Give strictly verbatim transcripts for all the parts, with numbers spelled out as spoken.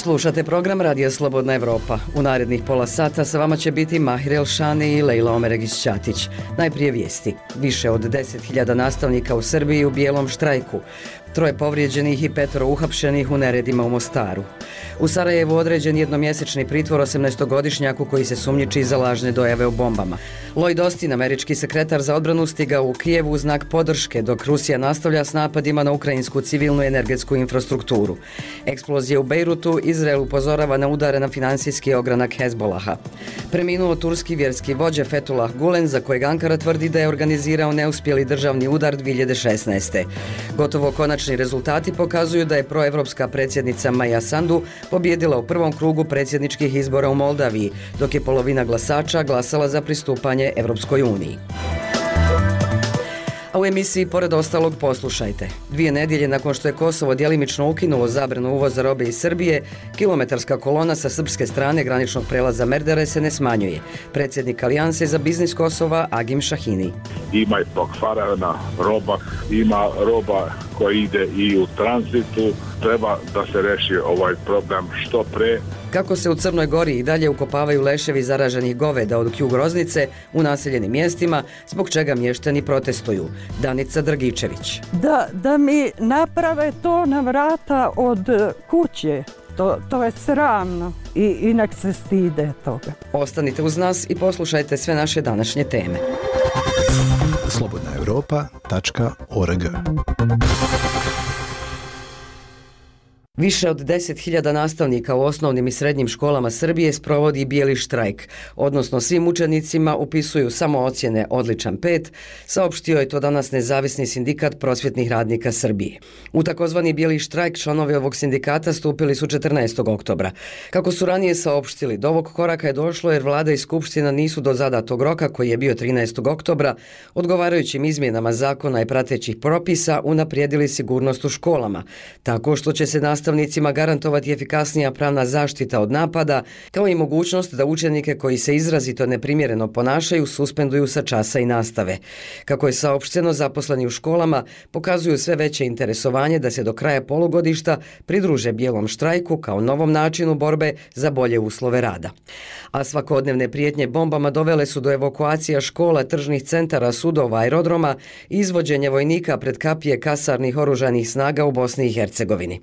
Slušate program Radija Slobodna Evropa. U narednih pola sata sa vama će biti Mahir Elšani i Lejla Omeregić-Ćatić. Najprije vijesti. Više od deset hiljada nastavnika u Srbiji u bijelom štrajku. Troje povrijeđenih i petoro uhapšenih u neredima u Mostaru. U Sarajevu određen jednomjesečni pritvor osamnaestogodišnjaku koji se sumnjiči za lažne dojave o bombama. Lloyd Austin, američki sekretar za odbranu, stigao u Kijevu u znak podrške, dok Rusija nastavlja s napadima na ukrajinsku civilnu i energetsku infrastrukturu. Eksplozije u Bejrutu, Izrael upozorava na udare na finansijski ogranak Hezbolaha. Preminuo turski vjerski vođa Fethullah Gulen, za kojeg Ankara tvrdi da je organizirao neuspjeli državni udar dvije hiljade šesnaeste. Gotovo konačni rezultati pokazuju da je proevropska predsjednica Maja Sandu pobjedila u prvom krugu predsjedničkih izbora u Moldaviji, dok je polovina glasača glasala za pristupanje Evropskoj uniji. A u emisiji pored ostalog poslušajte. Dvije nedjelje nakon što je Kosovo djelimično ukinulo zabranu uvoza robe iz Srbije, kilometarska kolona sa srpske strane graničnog prelaza Merdare se ne smanjuje. Predsjednik Alijanse za biznis Kosova Agim Šahini. Ima i pokvarena roba, ima roba koja ide i u tranzitu. Treba da se reši ovaj problem što pre. Kako se u Crnoj Gori i dalje ukopavaju leševi zaraženih goveda od Kju Groznice u naseljenim mjestima, zbog čega mještani protestuju. Danica Dragičević. Da, da mi naprave to na vrata od kuće. To, to je sramno i, i nek se stide toga. Ostanite uz nas i poslušajte sve naše današnje teme. slobodna europa tačka org. Više od deset hiljada nastavnika u osnovnim i srednjim školama Srbije sprovodi bijeli štrajk, odnosno svim učenicima upisuju samo ocjene odličan pet, saopštio je to danas Nezavisni sindikat prosvjetnih radnika Srbije. U takozvani bijeli štrajk članovi ovog sindikata stupili su četrnaestog oktobra. Kako su ranije saopštili, do ovog koraka je došlo jer vlada i skupština nisu do zadatog roka, koji je bio trinaestog oktobra, odgovarajućim izmjenama zakona i pratećih propisa unaprijedili sigurnost u školama, tako što će se nastaviti nastavnicima garantovati efikasnija pravna zaštita od napada, kao i mogućnost da učenike koji se izrazito neprimjereno ponašaju suspenduju sa časa i nastave. Kako je saopšteno, zaposleni u školama pokazuju sve veće interesovanje da se do kraja polugodišta pridruže bijelom štrajku kao novom načinu borbe za bolje uslove rada. A svakodnevne prijetnje bombama dovele su do evakuacija škola, tržnih centara, sudova, aerodroma i izvođenja vojnika pred kapije kasarnih oružanih snaga u Bosni i Hercegovini.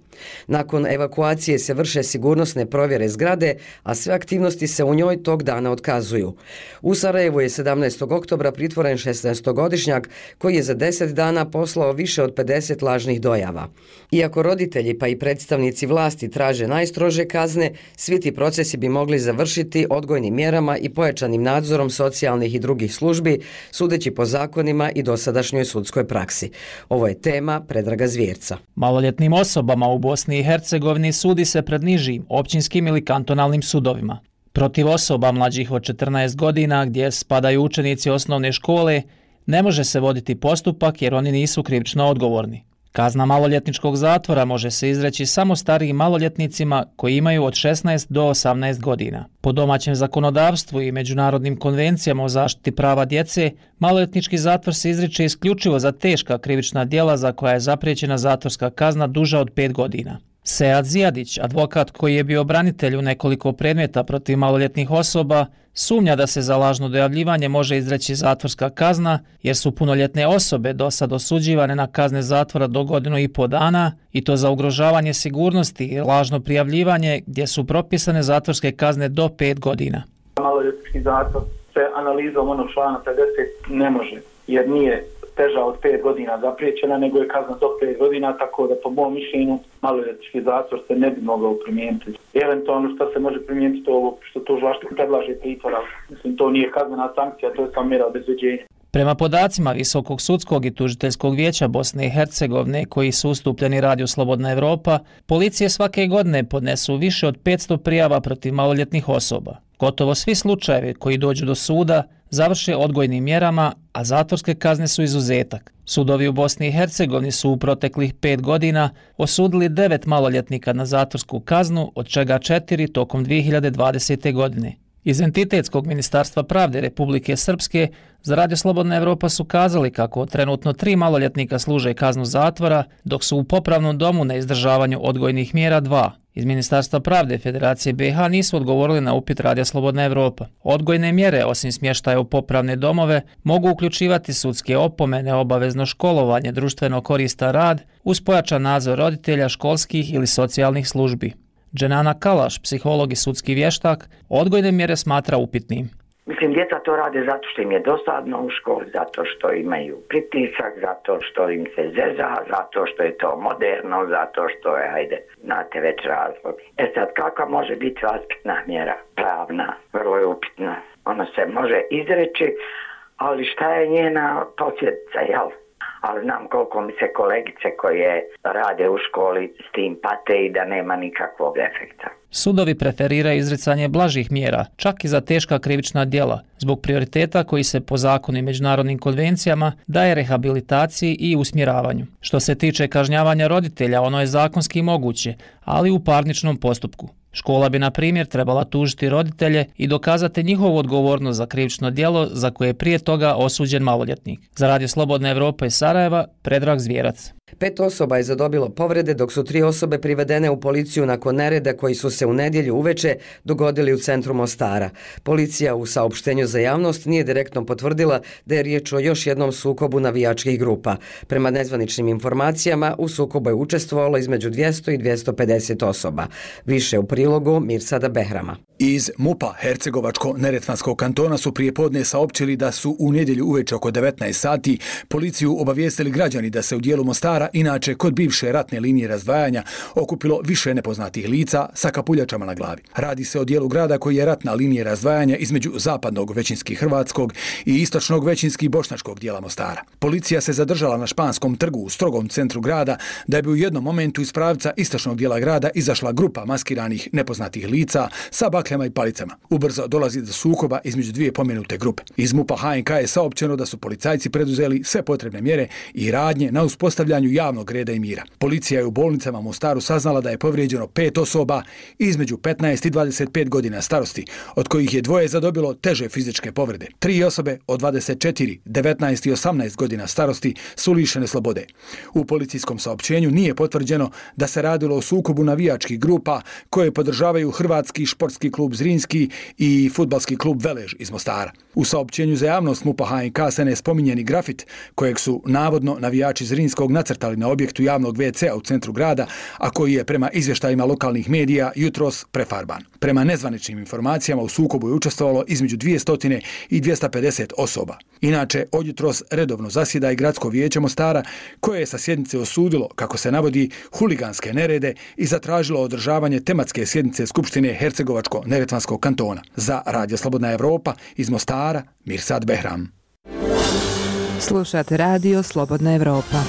Nakon evakuacije se vrše sigurnosne provjere zgrade, a sve aktivnosti se u njoj tog dana otkazuju. U Sarajevu je sedamnaestog oktobra pritvoren šesnaestogodišnjak koji je za deset dana poslao više od pedeset lažnih dojava. Iako roditelji pa i predstavnici vlasti traže najstrože kazne, svi ti procesi bi mogli završiti odgojnim mjerama i pojačanim nadzorom socijalnih i drugih službi, sudeći po zakonima i dosadašnjoj sudskoj praksi. Ovo je tema Predraga Zvjerca. Maloljetnim osobama u Bosni i Hercegovini sudi se pred nižim, općinskim ili kantonalnim sudovima. Protiv osoba mlađih od četrnaest godina, gdje spadaju učenici osnovne škole, ne može se voditi postupak jer oni nisu krivično odgovorni. Kazna maloljetničkog zatvora može se izreći samo starijim maloljetnicima koji imaju od šesnaest do osamnaest godina. Po domaćem zakonodavstvu i međunarodnim konvencijama o zaštiti prava djece, maloljetnički zatvor se izriče isključivo za teška krivična djela za koja je zapriječena zatvorska kazna duža od pet godina. Sead Zijadić, advokat koji je bio branitelj u nekoliko predmeta protiv maloljetnih osoba, sumnja da se za lažno dojavljivanje može izreći zatvorska kazna jer su punoljetne osobe do sad osuđivane na kazne zatvora do godinu i po dana i to za ugrožavanje sigurnosti i lažno prijavljivanje gdje su propisane zatvorske kazne do pet godina. Maloljetnički zatvor se analizom onog člana pedeset ne može jer nije teža od pet godina zapriječena, nego je kazna do pet godina, tako da po mom mišljenju maloljetnički zatvor se ne bi mogao primijeniti. Eventualno što se može primijeniti to ovo što tužilaštvo predlaže pritvora. Mislim, to nije kaznena sankcija, to je samo mjera obezbeđenja. Prema podacima Visokog sudskog i tužiteljskog vijeća Bosne i Hercegovine koji su ustupljeni Radiju Slobodna Evropa, policije svake godine podnesu više od petsto prijava protiv maloljetnih osoba. Gotovo svi slučajevi koji dođu do suda završe odgojnim mjerama, a zatvorske kazne su izuzetak. Sudovi u Bosni i Hercegovini su u proteklih pet godina osudili devet maloljetnika na zatvorsku kaznu, od čega četiri tokom dvije hiljade dvadesete. godine. Iz Entitetskog ministarstva pravde Republike Srpske za Radio Slobodna Evropa su kazali kako trenutno tri maloljetnika služe kaznu zatvora, dok su u popravnom domu na izdržavanju odgojnih mjera dva. Iz Ministarstva pravde Federacije B i H nisu odgovorili na upit Radija Slobodna Evropa. Odgojne mjere, osim smještaja u popravne domove, mogu uključivati sudske opomene, obavezno školovanje, društveno koristan rad, uz pojačan nadzor roditelja, školskih ili socijalnih službi. Dženana Kalaš, psiholog i sudski vještak, odgojne mjere smatra upitnim. Mislim, djeca to rade zato što im je dosadno u školi, zato što imaju pritisak, zato što im se zeza, zato što je to moderno, zato što je, hajde, znate već razlog. E sad, kakva može biti vaspitna mjera? Pravna, vrlo je upitna. Ona se može izreći, ali šta je njena posljedica, jel? Ali znam koliko mi se kolegice koje rade u školi s tim pate i da nema nikakvog efekta. Sudovi preferiraju izricanje blažih mjera, čak i za teška krivična djela, zbog prioriteta koji se po zakonu i međunarodnim konvencijama daje rehabilitaciji i usmjeravanju. Što se tiče kažnjavanja roditelja, ono je zakonski moguće, ali u parničnom postupku. Škola bi, na primjer, trebala tužiti roditelje i dokazati njihovu odgovornost za krivično djelo za koje je prije toga osuđen maloljetnik. Za Radio Slobodna Evropa iz Sarajeva, Predrag Zvjerac. Pet osoba je zadobilo povrede, dok su tri osobe privedene u policiju nakon nereda koji su se u nedjelju uveče dogodili u centru Mostara. Policija u saopštenju za javnost nije direktno potvrdila da je riječ o još jednom sukobu navijačkih grupa. Prema nezvaničnim informacijama, u sukobu je učestvovalo između dvjesto i dvjesto pedeset osoba. Više u prilogu Mirsada Behrama. Iz MUP-a Hercegovačko-Neretvanskog kantona su prije podne saopćili da su u nedjelju uveče oko devetnaest sati policiju obavijestili građani da se u dijelu Mostara, inače kod bivše ratne linije razdvajanja, okupilo više nepoznatih lica sa kapuljačama na glavi. Radi se o dijelu grada koji je ratna linija razdvajanja između zapadnog većinski hrvatskog i istočnog većinski bošnjačkog dijela Mostara. Policija se zadržala na Španskom trgu u strogom centru grada da bi u jednom momentu iz pravca istočnog dijela grada izašla grupa maskiranih nepoznatih lica sa bakljama i palicama. Ubrzo dolazi do sukoba između dvije pomenute grupe. Iz MUP-a H N K je saopćeno da su policajci preduzeli sve potrebne mjere i radnje na uspostavljanju javnog reda i mira. Policija je u bolnicama u Mostaru saznala da je povrijeđeno pet osoba između petnaest i dvadeset pet godina starosti, od kojih je dvoje zadobilo teže fizičke povrede. Tri osobe od dvadeset četiri, devetnaest i osamnaest godina starosti su lišene slobode. U policijskom saopćenju nije potvrđeno da se radilo o sukobu navijačkih grupa koje podržavaju Hrvatski športski klub Zrinski i fudbalski klub Velež iz Mostara. U saopćenju za javnost MUP-a H N K se ne spominje ni grafit kojeg su navodno navijači Zrinskog nacrtali na objektu javnog ve ce a u centru grada, a koji je prema izvještajima lokalnih medija jutros prefarban. Prema nezvaničnim informacijama u sukobu je učestvovalo između dvjesto i dvjesto pedeset osoba. Inače, od jutros redovno zasjeda i Gradsko vijeće Mostara, koje je sa sjednice osudilo, kako se navodi, huliganske nerede i zatražilo održavanje tematske sjednice Skupštine Hercegovačko-Neretvanskog kantona. Za Radio Slobodna Evropa iz Mostara, Mirsad Behram. Slušate Radio Slobodna Evropa.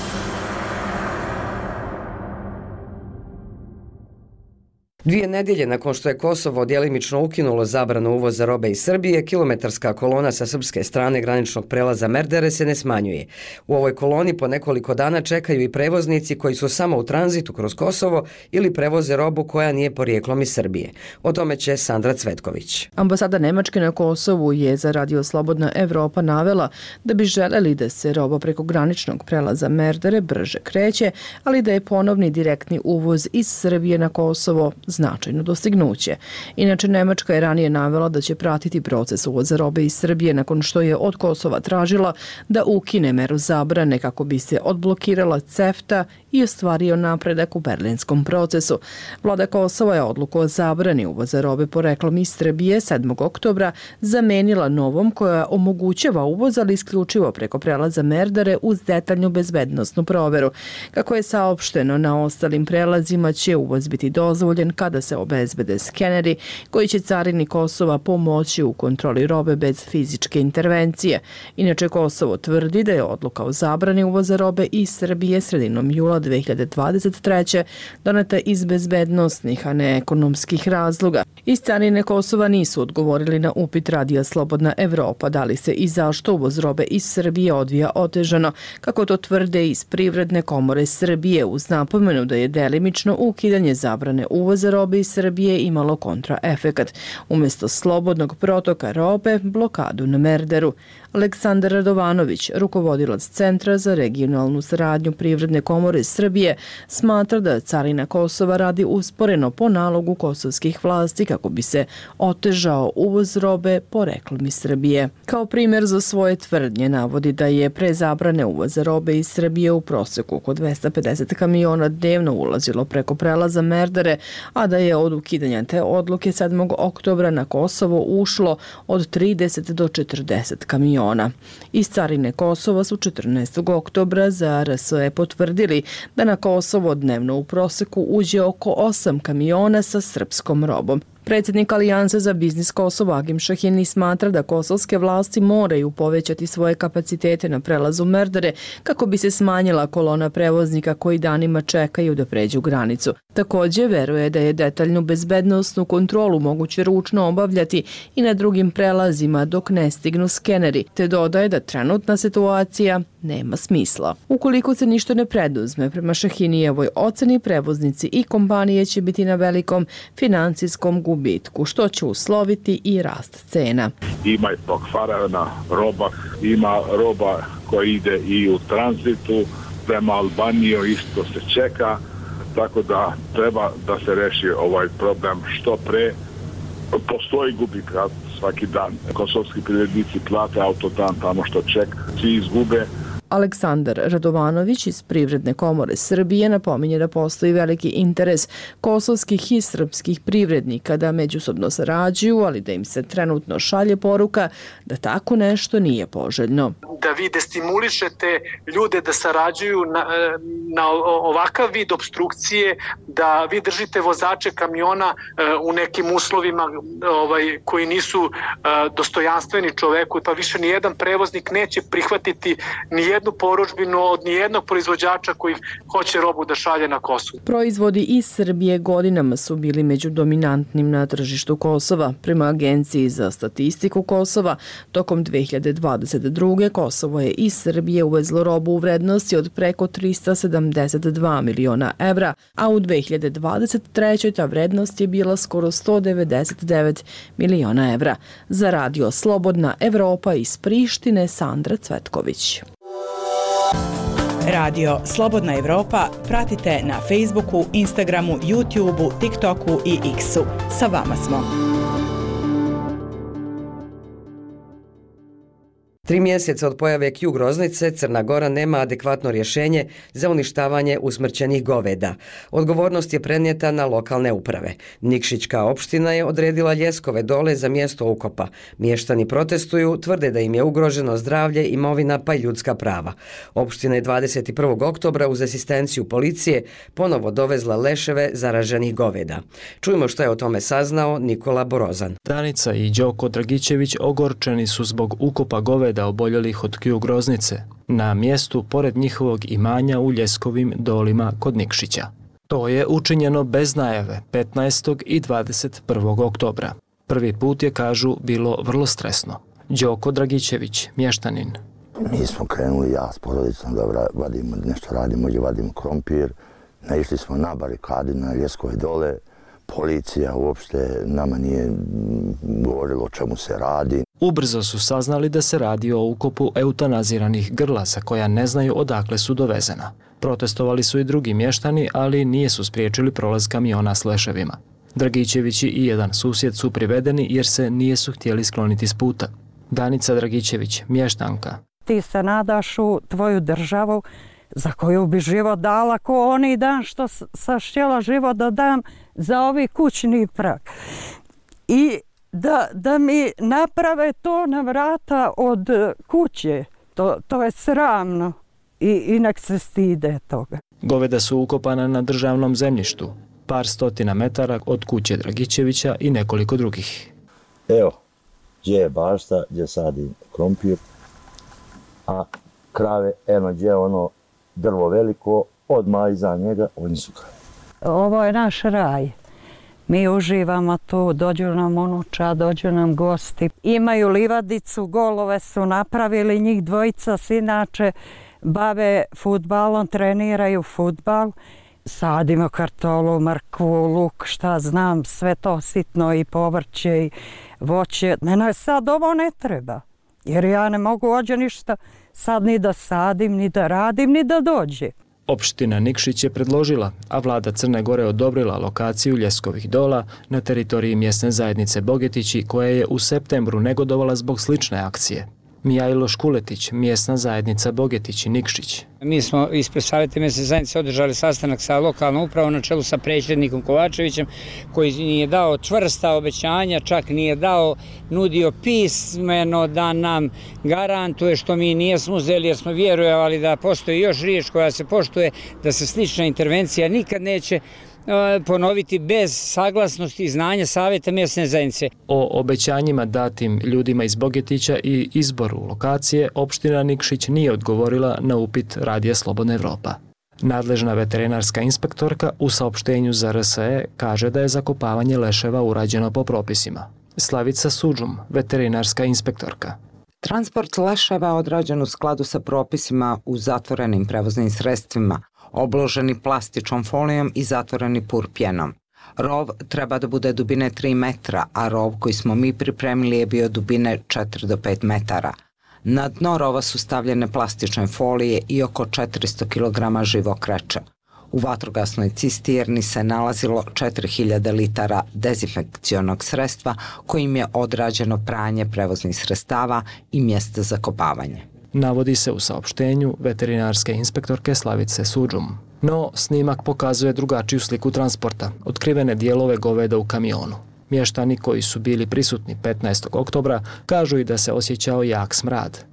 Dvije nedjelje nakon što je Kosovo djelimično ukinulo zabranu uvoza robe iz Srbije, kilometarska kolona sa srpske strane graničnog prelaza Merdere se ne smanjuje. U ovoj koloni po nekoliko dana čekaju i prevoznici koji su samo u tranzitu kroz Kosovo ili prevoze robu koja nije porijeklom iz Srbije. O tome će Sandra Cvetković. Ambasada Nemačke na Kosovu je za Radio Slobodna Evropa navela da bi želeli da se roba preko graničnog prelaza Merdere brže kreće, ali da je ponovni direktni uvoz iz Srbije na Kosovo značajno dostignuće. Inače, Nemačka je ranije navela da će pratiti proces uvoza robe iz Srbije nakon što je od Kosova tražila da ukine meru zabrane kako bi se odblokirala CEFTA i ostvario napredak u berlinskom procesu. Vlada Kosova je odluku o zabrani uvoza robe poreklom iz Srbije sedmog oktobra zamenila novom koja omogućava uvoz, ali isključivo preko prelaza Merdare uz detaljnu bezbednosnu proveru. Kako je saopšteno, na ostalim prelazima će uvoz biti dozvoljen kada se obezbede skeneri koji će carini Kosova pomoći u kontroli robe bez fizičke intervencije. Inače, Kosovo tvrdi da je odluka o zabrani uvoza robe iz Srbije sredinom jula dve hiljade dvadeset treće doneta iz bezbednosnih, a ne ekonomskih razloga. Iz carine Kosova nisu odgovorili na upit Radija Slobodna Evropa da li se i zašto uvoz robe iz Srbije odvija otežano, kako to tvrde iz Privredne komore Srbije, uz napomenu da je delimično ukidanje zabrane uvoza robe iz Srbije imalo kontraefekat. Umjesto slobodnog protoka robe, blokadu na Merderu. Aleksandar Radovanović, rukovodilac Centra za regionalnu saradnju Privredne komore Srbije, smatra da carina Kosova radi usporeno po nalogu kosovskih vlasti kako bi se otežao uvoz robe poreklom iz Srbije. Kao primjer za svoje tvrdnje navodi da je pre zabrane uvoza robe iz Srbije u proseku oko dvesta pedeset kamiona dnevno ulazilo preko prelaza Merdare, a da je od ukidanja te odluke sedmog oktobra na Kosovo ušlo od trideset do četrdeset kamiona. Iz carine Kosova su četrnaestog oktobra za R S E potvrdili da na Kosovo dnevno u proseku uđe oko osam kamiona sa srpskom robom. Predsjednik Alijanse za biznis Kosova Agim Šahini smatra da kosovske vlasti moraju povećati svoje kapacitete na prelazu Merdare kako bi se smanjila kolona prevoznika koji danima čekaju da pređu granicu. Također veruje da je detaljnu bezbednosnu kontrolu moguće ručno obavljati i na drugim prelazima dok ne stignu skeneri, te dodaje da trenutna situacija nema smisla. Ukoliko se ništa ne preduzme, prema Šahinijevoj oceni prevoznici i kompanije će biti na velikom financijskom gubitku, što će usloviti i rast cena. Ima i pokvarena roba, ima roba koja ide i u tranzitu, prema Albaniji isto se čeka, tako da treba da se reši ovaj problem što pre. Postoji gubitak svaki dan. Kosovski privrednici plate autodan tamo što čeka, svi izgube. Aleksandar Radovanović iz Privredne komore Srbije napominje da postoji veliki interes kosovskih i srpskih privrednika da međusobno sarađuju, ali da im se trenutno šalje poruka da tako nešto nije poželjno. Da vi destimulišete ljude da sarađuju na, na ovakav vid obstrukcije, da vi držite vozače kamiona u nekim uslovima ovaj, koji nisu dostojanstveni čoveku, pa više nijedan prevoznik neće prihvatiti nijednu jednu porudžbinu od nijednog proizvođača koji hoće robu da šalje na Kosovo. Proizvodi iz Srbije godinama su bili među dominantnim na tržištu Kosova. Prema Agenciji za statistiku Kosova, tokom dve hiljade dvadeset druge. Kosovo je iz Srbije uvezlo robu u vrednosti od preko trista sedamdeset dva miliona evra, a u dve hiljade dvadeset trećoj. ta vrednost je bila skoro sto devedeset devet miliona evra. Za Radio Slobodna Evropa iz Prištine, Sandra Cvetković. Radio Slobodna Evropa pratite na Facebooku, Instagramu, YouTubeu, TikToku i X-u. Sa vama smo. Tri mjeseca od pojave Q groznice Crna Gora nema adekvatno rješenje za uništavanje usmrćenih goveda. Odgovornost je prenijeta na lokalne uprave. Nikšićka opština je odredila Ljeskove dole za mjesto ukopa. Mještani protestuju, tvrde da im je ugroženo zdravlje, imovina pa i ljudska prava. Opština je dvadeset prvog oktobra uz asistenciju policije ponovo dovezla leševe zaraženih goveda. Čujmo što je o tome saznao Nikola Borozan. Danica i Đoko Dragićević ogorčeni su zbog ukopa goveda da oboljelih od Q groznice na mjestu pored njihovog imanja u Ljeskovim dolima kod Nikšića. To je učinjeno bez najave petnaestog i dvadeset prvog oktobra. Prvi put je, kažu, bilo vrlo stresno. Đoko Dragićević, mještanin. Mi smo krenuli, ja s porodicom, da vadimo, nešto radimo, gdje vadimo krompir. Naišli smo na barikadi na Ljeskove dole. Policija uopšte nama nije govorila o čemu se radi. Ubrzo su saznali da se radi o ukopu eutanaziranih grlasa koja ne znaju odakle su dovezena. Protestovali su i drugi mještani, ali nije su spriječili prolaz kamiona s leševima. Dragićevići i jedan susjed su privedeni jer se nije su htjeli skloniti s puta. Danica Dragićević, mještanka. Ti se nadaš u tvoju državu za koju bi život dala ko oni dan što sam htjela život da dam za ovi kućni prag. I da, da mi naprave to na vrata od kuće, to, to je sramno i, i nek se stide toga. Goveda su ukopana na državnom zemljištu, par stotina metara od kuće Dragićevića i nekoliko drugih. Evo, gdje je bašta, gdje sadi krompir, a krave, eno gdje je ono drvo veliko, odmah iza njega, oni su krave. Ovo je naš raj. Mi uživamo tu, dođu nam unuča, dođu nam gosti. Imaju livadicu, golove su napravili, njih dvojica se inače bave fudbalom, treniraju fudbal. Sadimo kartolu, mrkvu, luk, šta znam, sve to sitno i povrće i voće. Mene sad ovo ne treba. Jer ja ne mogu ođe ništa sad ni da sadim, ni da radim, ni da dođe. Opština Nikšić je predložila, a vlada Crne Gore odobrila lokaciju Ljeskovih dola na teritoriji mjesne zajednice Bogetići, koja je u septembru negodovala zbog slične akcije. Mijajlo Škuletić, mjesna zajednica Bogetići Nikšić. Mi smo ispred Savjeta mjesne zajednice održali sastanak sa lokalnom upravom na čelu sa predsjednikom Kovačevićem, koji nije dao čvrsta obećanja, čak nije dao, nudio pismeno da nam garantuje, što mi nijesmo uzeli jer smo vjerujevali da postoji još riječ koja se poštuje, da se slična intervencija nikad neće ponoviti bez saglasnosti i znanja Savjeta mjesne zajednice. O obećanjima datim ljudima iz Bogetića i izboru lokacije opština Nikšić nije odgovorila na upit Radija Slobodna Evropa. Nadležna veterinarska inspektorka u saopštenju za R S E kaže da je zakopavanje leševa urađeno po propisima. Slavica Suđum, veterinarska inspektorka. Transport leševa odrađen u skladu sa propisima u zatvorenim prevoznim sredstvima, obloženi plastičnom folijom i zatvoreni purpjenom. Rov treba da bude dubine tri metra, a rov koji smo mi pripremili je bio dubine četiri do pet metara. Na dno rova su stavljene plastične folije i oko četiristo kilograma živog kreča. U vatrogasnoj cisterni se nalazilo četiri hiljade litara dezinfekcionog sredstva kojim je odrađeno pranje prevoznih sredstava i mjesta za kopavanje. Navodi se u saopštenju veterinarske inspektorke Slavice Suđum. No, snimak pokazuje drugačiju sliku transporta, otkrivene dijelove goveda u kamionu. Mještani koji su bili prisutni petnaestog oktobra kažu i da se osjećao jak smrad.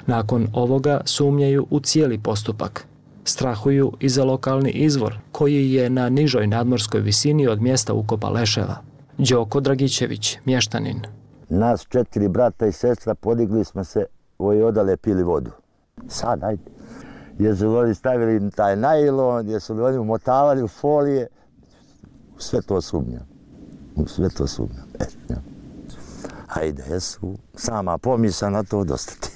Nakon ovoga sumnjaju u cijeli postupak. Strahuju i za lokalni izvor, koji je na nižoj nadmorskoj visini od mjesta ukopa leševa. Đoko Dragićević, mještanin. Nas četiri brata i sestra podigli smo se i odale pili vodu. Sad, ajde. Jesu li oni stavili taj najlon, jesu li oni umotavali u folije, sve to sumnjam. Sve to sumnjam. E, ja. Ajde, jesu sama pomisla na to dostati.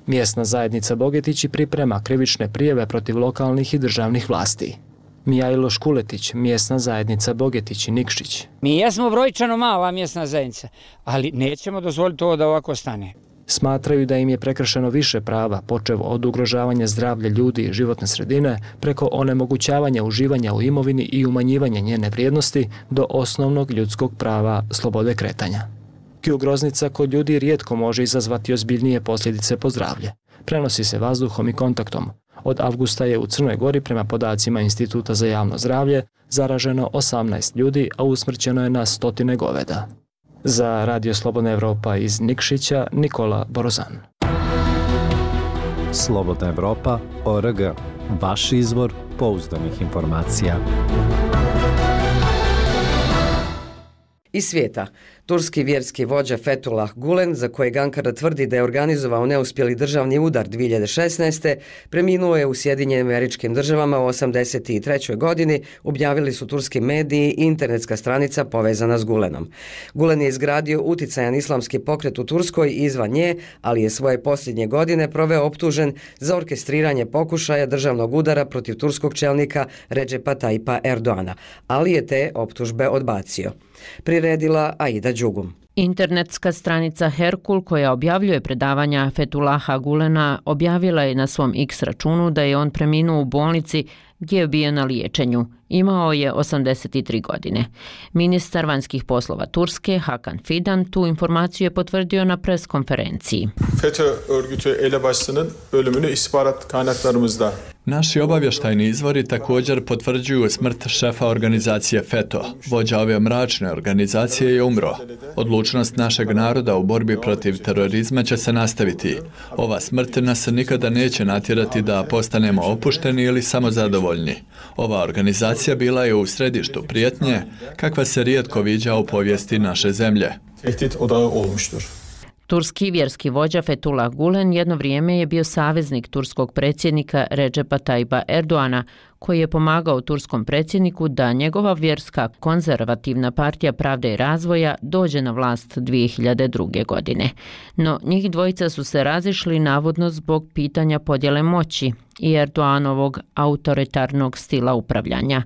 Mjesna zajednica Bogetići priprema krivične prijeve protiv lokalnih i državnih vlasti. Mijajlo Škuletić, mjesna zajednica Bogetići Nikšić. Mi jesmo brojčano mala mjesna zajednica, ali nećemo dozvoliti ovo da ovako stane. Smatraju da im je prekršeno više prava, počev od ugrožavanja zdravlja ljudi i životne sredine, preko onemogućavanja uživanja u imovini i umanjivanja njene vrijednosti do osnovnog ljudskog prava slobode kretanja. Kju groznica kod ljudi rijetko može izazvati ozbiljnije posljedice po zdravlje. Prenosi se vazduhom i kontaktom. Od avgusta je u Crnoj Gori, prema podacima Instituta za javno zdravlje, zaraženo osamnaest ljudi, a usmrćeno je na stotine goveda. Za Radio Slobodna Evropa iz Nikšića, Nikola Borozan. Slobodna Evropa, O R G. Vaš izvor pouzdanih informacija. Iz svijeta. Turski vjerski vođa Fethullah Gulen, za kojeg Ankara tvrdi da je organizovao neuspjeli državni udar dvije hiljade šesnaeste. preminuo je u Sjedinjenim Američkim Državama u osamdeset trećoj godini, objavili su turski mediji i internetska stranica povezana s Gulenom. Gulen je izgradio uticajan islamski pokret u Turskoj i izvan nje, ali je svoje posljednje godine proveo optužen za orkestriranje pokušaja državnog udara protiv turskog čelnika Redžepa Tayyipa Erdoana, ali je te optužbe odbacio. Priredila Aida Đugum. Internetska stranica Herkul, koja objavljuje predavanja Fethullaha Gulena, objavila je na svom X računu da je on preminuo u bolnici gdje je bio na liječenju. Imao je osamdeset tri godine. Ministar vanjskih poslova Turske, Hakan Fidan, tu informaciju je potvrdio na pres konferenciji. FETÖ örgütü elebaşısının ölümünü istihbarat kaynaklarımızda. Naši obavještajni izvori također potvrđuju smrt šefa organizacije FETÖ. Vođa ove mračne organizacije je umro. Odlučnost našeg naroda u borbi protiv terorizma će se nastaviti. Ova smrt nas nikada neće natjerati da postanemo opušteni ili samozadovoljni. Ova organizacija bila je u središtu prijetnje, kakva se rijetko viđa u povijesti naše zemlje. Tehdit odağı olmuştur. Turski vjerski vođa Fethullah Gulen jedno vrijeme je bio saveznik turskog predsjednika Redžepa Tayyipa Erdoana, koji je pomagao turskom predsjedniku da njegova vjerska konzervativna partija Pravde i razvoja dođe na vlast dvije hiljade druge. godine. No, njih dvojica su se razišli navodno zbog pitanja podjele moći i Erdoanovog autoritarnog stila upravljanja.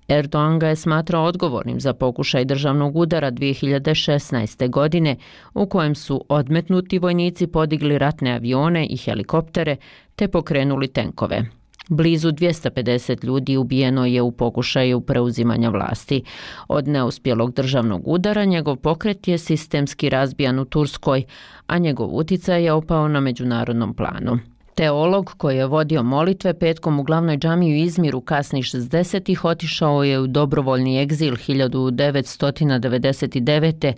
Erdogan ga je smatrao odgovornim za pokušaj državnog udara dvije hiljade šesnaeste. godine u kojem su odmetnuti vojnici podigli ratne avione i helikoptere te pokrenuli tenkove. Blizu dvjesto pedeset ljudi ubijeno je u pokušaju preuzimanja vlasti. Od neuspjelog državnog udara njegov pokret je sistemski razbijan u Turskoj, a njegov uticaj je opao na međunarodnom planu. Teolog koji je vodio molitve petkom u glavnoj džamiji u Izmiru kasnih šezdesetih otišao je u dobrovoljni egzil hiljadu devetsto devedeset devete.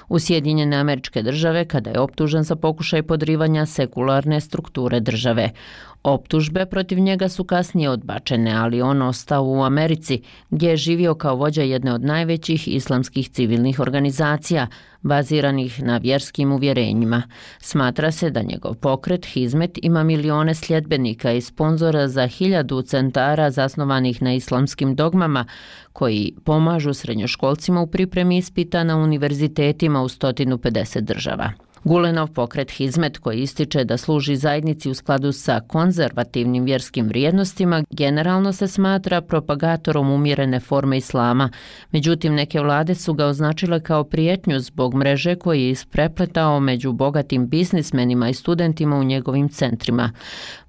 u Sjedinjene Američke Države kada je optužen za pokušaj podrivanja sekularne strukture države. Optužbe protiv njega su kasnije odbačene, ali on ostao u Americi, gdje je živio kao vođa jedne od najvećih islamskih civilnih organizacija, baziranih na vjerskim uvjerenjima. Smatra se da njegov pokret Hizmet ima milione sljedbenika i sponzora za hiljadu centara zasnovanih na islamskim dogmama, koji pomažu srednjoškolcima u pripremi ispita na univerzitetima u sto pedeset država. Gulenov pokret Hizmet, koji ističe da služi zajednici u skladu sa konzervativnim vjerskim vrijednostima, generalno se smatra propagatorom umjerene forme islama. Međutim, neke vlade su ga označile kao prijetnju zbog mreže koji je isprepletao među bogatim biznismenima i studentima u njegovim centrima.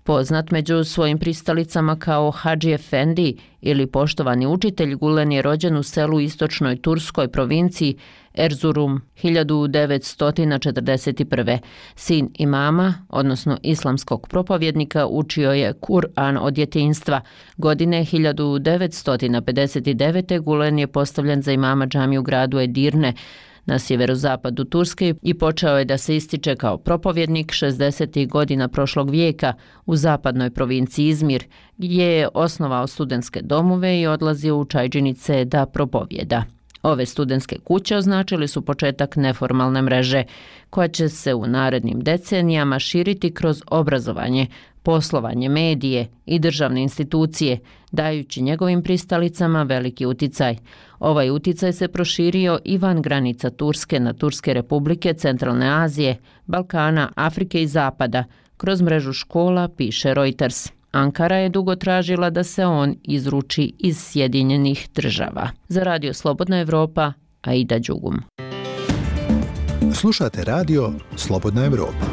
Poznat među svojim pristalicama kao Hadži Efendi ili poštovani učitelj, Gulen je rođen u selu u istočnoj turskoj provinciji Erzurum hiljadu devetsto četrdeset prve. Sin imama, odnosno islamskog propovjednika, učio je Kur'an od djetinjstva. Godine hiljadu devetsto pedeset devete. Gulen je postavljen za imama džamije u gradu Edirne na sjeverozapadu Turske i počeo je da se ističe kao propovjednik šezdesetih godina prošlog vijeka u zapadnoj provinciji Izmir, gdje je osnovao studentske domove i odlazio u čajđinice da propovjeda. Ove studentske kuće označili su početak neformalne mreže, koja će se u narednim decenijama širiti kroz obrazovanje, poslovanje, medije i državne institucije, dajući njegovim pristalicama veliki uticaj. Ovaj uticaj se proširio i van granica Turske na Turske republike, Centralne Azije, Balkana, Afrike i Zapada, kroz mrežu škola, piše Reuters. Ankara je dugo tražila da se on izruči iz Sjedinjenih Država. Za Radio Slobodna Evropa, Aida Đugum. Slušate radio Slobodna Evropa.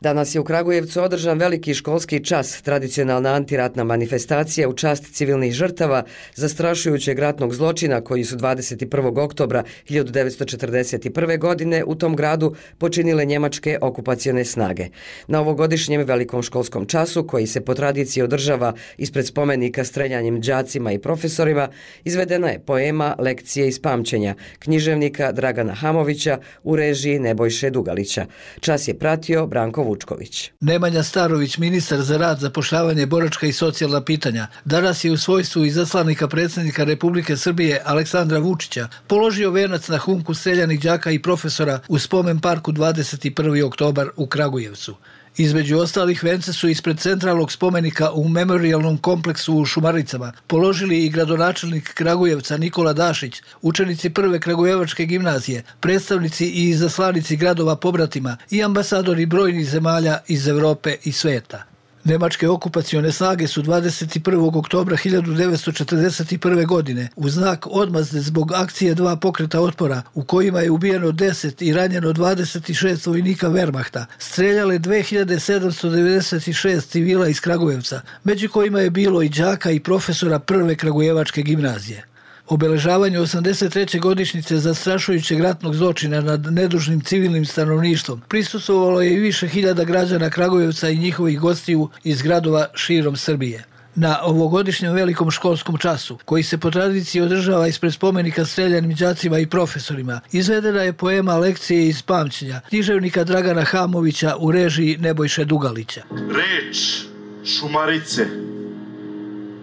Danas je u Kragujevcu održan veliki školski čas, tradicionalna antiratna manifestacija u čast civilnih žrtava zastrašujućeg ratnog zločina koji su dvadeset prvog oktobra hiljadu devetsto četrdeset prve. godine u tom gradu počinile njemačke okupacione snage. Na ovogodišnjem velikom školskom času, koji se po tradiciji održava ispred spomenika streljanjem đacima i profesorima, izvedena je poema Lekcije iz pamćenja književnika Dragana Hamovića u režiji Nebojše Dugalića. Čas je pratio Branko Vučković. Nemanja Starović, ministar za rad, zapošljavanje, boračka i socijalna pitanja, danas je u svojstvu izaslanika predsjednika Republike Srbije Aleksandra Vučića položio venac na humku streljanih đaka i profesora u spomen parku dvadeset prvi oktobar u Kragujevcu. Između ostalih vence su ispred centralnog spomenika u memorialnom kompleksu u Šumaricama položili i gradonačelnik Kragujevca Nikola Dašić, učenici prve Kragujevačke gimnazije, predstavnici i izaslanici gradova pobratima i ambasadori brojnih zemalja iz Evrope i sveta. Nemačke okupacione snage su dvadeset prvog oktobra hiljadu devetsto četrdeset prve. godine u znak odmazde zbog akcije dva pokreta otpora u kojima je ubijeno deset i ranjeno dvadeset šest vojnika Wehrmachta, streljale dve hiljade sedamsto devedeset šest civila iz Kragujevca, među kojima je bilo i đaka i profesora prve Kragujevačke gimnazije. Obeležavanju osamdeset treće godišnjice zastrašujućeg ratnog zločina nad nedužnim civilnim stanovništvom prisustvovalo je i više hiljada građana Kragujevca i njihovih gostiju iz gradova širom Srbije. Na ovogodišnjem velikom školskom času, koji se po tradiciji održava ispred spomenika streljanim đacima i profesorima, izvedena je poema Lekcije iz pamćenja književnika Dragana Hamovića u režiji Nebojše Dugalića. Reč Šumarice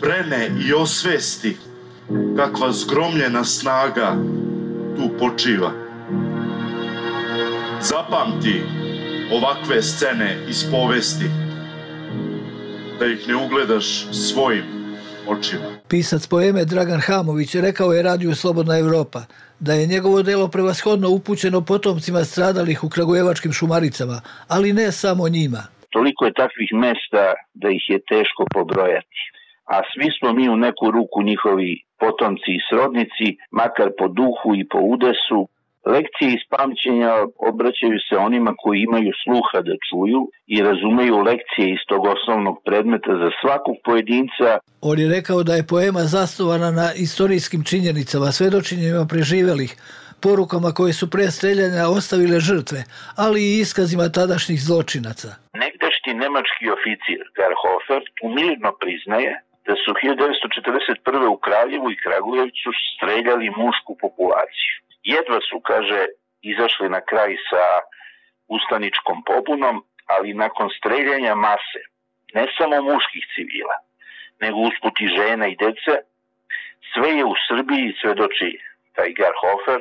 brene i osvesti kakva zgromljena snaga tu počiva. Zapamti ovakve scene iz povesti, da ih ne ugledaš svojim očima. Pisac poeme Dragan Hamović rekao je Radiju Slobodna Evropa da je njegovo delo prevashodno upućeno potomcima stradalih u kragujevačkim Šumaricama, ali ne samo njima. Toliko je takvih mesta da ih je teško pobrojati. a svi smo mi u neku ruku njihovi potomci i srodnici, makar po duhu i po udesu. Lekcije iz pamćenja obraćaju se onima koji imaju sluha da čuju i razumeju lekcije iz tog osnovnog predmeta za svakog pojedinca. On je rekao da je poema zasnovana na istorijskim činjenicama, svedočenjima preživelih, porukama koje su pre streljanja ostavile žrtve, ali i iskazima tadašnjih zločinaca. Negdašnji nemački oficir Garhofer umirno priznaje da su hiljadu devetsto četrdeset prve. u Kraljevu i Kragujevcu streljali mušku populaciju. Jedva su, kaže, izašli na kraj sa ustaničkom pobunom, ali nakon streljanja mase, ne samo muških civila, nego usput i žena i dece, sve je u Srbiji, svedoči taj Garhofer,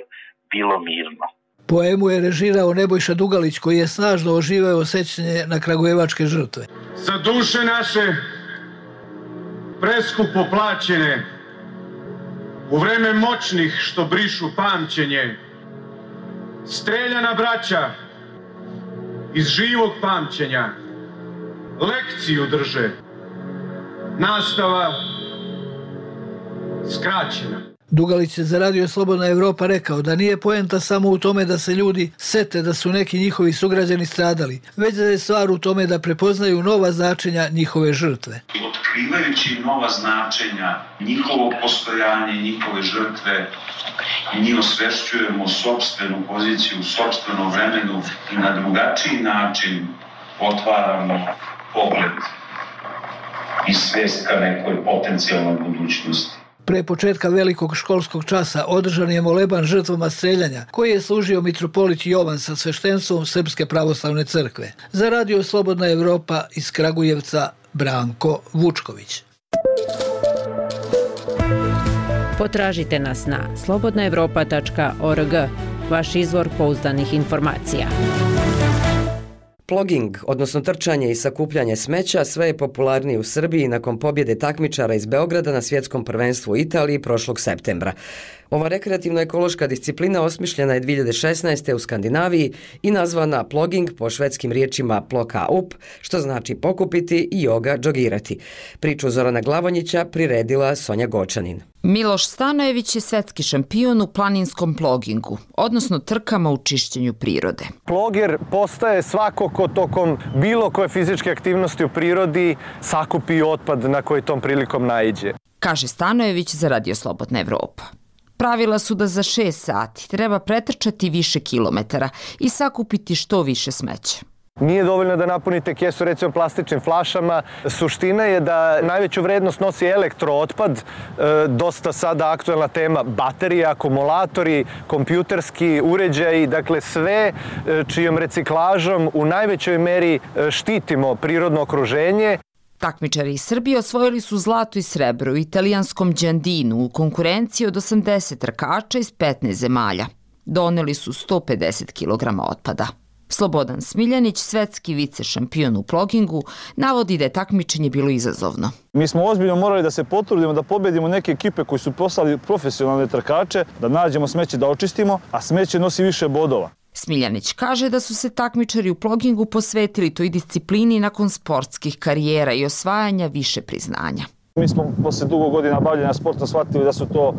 bilo mirno. Poemu je režirao Nebojša Dugalić, koji je snažno oživeo sećanje na kragujevačke žrtve. Za duše naše preskupo plaćene, u vreme moćnih što brišu pamćenje, streljana braća iz živog pamćenja lekciju drže, nastava skraćena. Dugalić je za Radio Slobodna Evropa rekao da nije poenta samo u tome da se ljudi sete da su neki njihovi sugrađani stradali, već da je stvar u tome da prepoznaju nova značenja njihove žrtve. Otkrivajući nova značenja, njihovo postojanje, njihove žrtve, mi osvešćujemo sopstvenu poziciju u sopstvenom vremenu i na drugačiji način otvaramo pogled i svest ka nekoj potencijalnoj budućnosti. Pre početka velikog školskog časa održan je moleban žrtvama streljanja, koji je služio mitropolit Jovan sa sveštenstvom Srpske pravoslavne crkve. Za Radio Slobodna Evropa iz Kragujevca, Branko Vučković. Potražite nas na slobodna evropa tačka org, vaš izvor pouzdanih informacija. Ploging, odnosno trčanje i sakupljanje smeća, sve je popularniji u Srbiji nakon pobjede takmičara iz Beograda na svjetskom prvenstvu u Italiji prošlog septembra. Ova rekreativno-ekološka disciplina osmišljena je dvije hiljade šesnaeste. u Skandinaviji i nazvana ploging po švedskim riječima ploka up, što znači pokupiti i joga džogirati. Priču Zorana Glavonjića priredila Sonja Gočanin. Miloš Stanojević je svetski šampion u planinskom plogingu, odnosno trkama u čišćenju prirode. Ploger postaje svako ko tokom bilo koje fizičke aktivnosti u prirodi sakupi otpad na koji tom prilikom naiđe. Kaže Stanojević za Radio Slobodna Evropa. Pravila su da za šest sati treba pretrčati više kilometara i sakupiti što više smeća. Nije dovoljno da napunite kesu recimo plastičnim flašama. Suština je da najveću vrednost nosi elektrootpad, dosta sada aktuelna tema baterije, akumulatori, kompjuterski uređaji, dakle sve čijom reciklažom u najvećoj meri štitimo prirodno okruženje. Takmičari iz Srbije osvojili su zlato i srebro u italijanskom Đandinu u konkurenciji od osamdeset trkača iz petnaest zemalja. Doneli su sto pedeset kilograma otpada. Slobodan Smiljanić, svetski vice šampion u plogingu, navodi da je takmičenje bilo izazovno. Mi smo ozbiljno morali da se potrudimo da pobedimo neke ekipe koji su postali profesionalne trkače, da nađemo smeće da očistimo, a smeće nosi više bodova. Smiljanić kaže da su se takmičari u plogingu posvetili toj disciplini nakon sportskih karijera i osvajanja više priznanja. Mi smo posle dugo godina bavljenja sporta shvatili da su to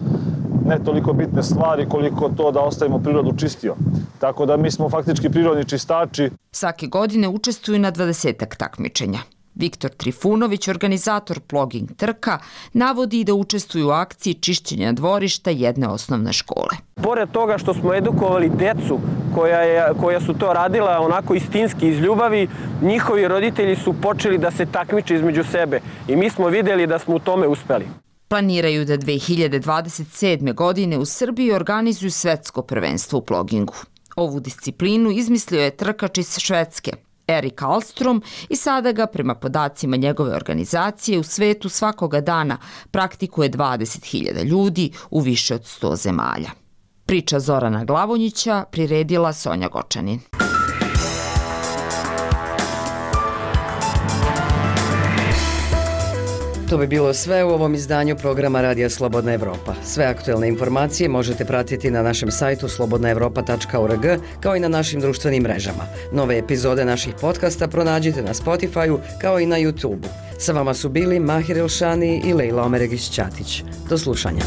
ne toliko bitne stvari koliko to da ostavimo prirodu čistio. Tako da mi smo faktički prirodni čistači. Svake godine učestvuju na dvadesetak takmičenja. Viktor Trifunović, organizator ploging trka, navodi da učestvuju u akciji čišćenja dvorišta jedne osnovne škole. Pored toga što smo edukovali decu koja, je, koja su to radila onako istinski iz ljubavi, njihovi roditelji su počeli da se takmiče između sebe i mi smo vidjeli da smo u tome uspeli. Planiraju da dve hiljade dvadeset sedme. godine u Srbiji organizuju svetsko prvenstvo u plogingu. Ovu disciplinu izmislio je trkač iz Švedske, Erik Alstrom, i sada ga, prema podacima njegove organizacije, u svetu svakoga dana praktikuje dvadeset hiljada ljudi u više od sto zemalja. Priča Zorana Glavonjića priredila Sonja Gočanin. To bi bilo sve u ovom izdanju programa Radija Slobodna Evropa. Sve aktuelne informacije možete pratiti na našem sajtu slobodna evropa tačka org kao i na našim društvenim mrežama. Nove epizode naših podcasta pronađite na Spotify-u kao i na YouTube-u. Sa vama su bili Mahir Elšani i Lejla Omeregić-Ćatić. Do slušanja.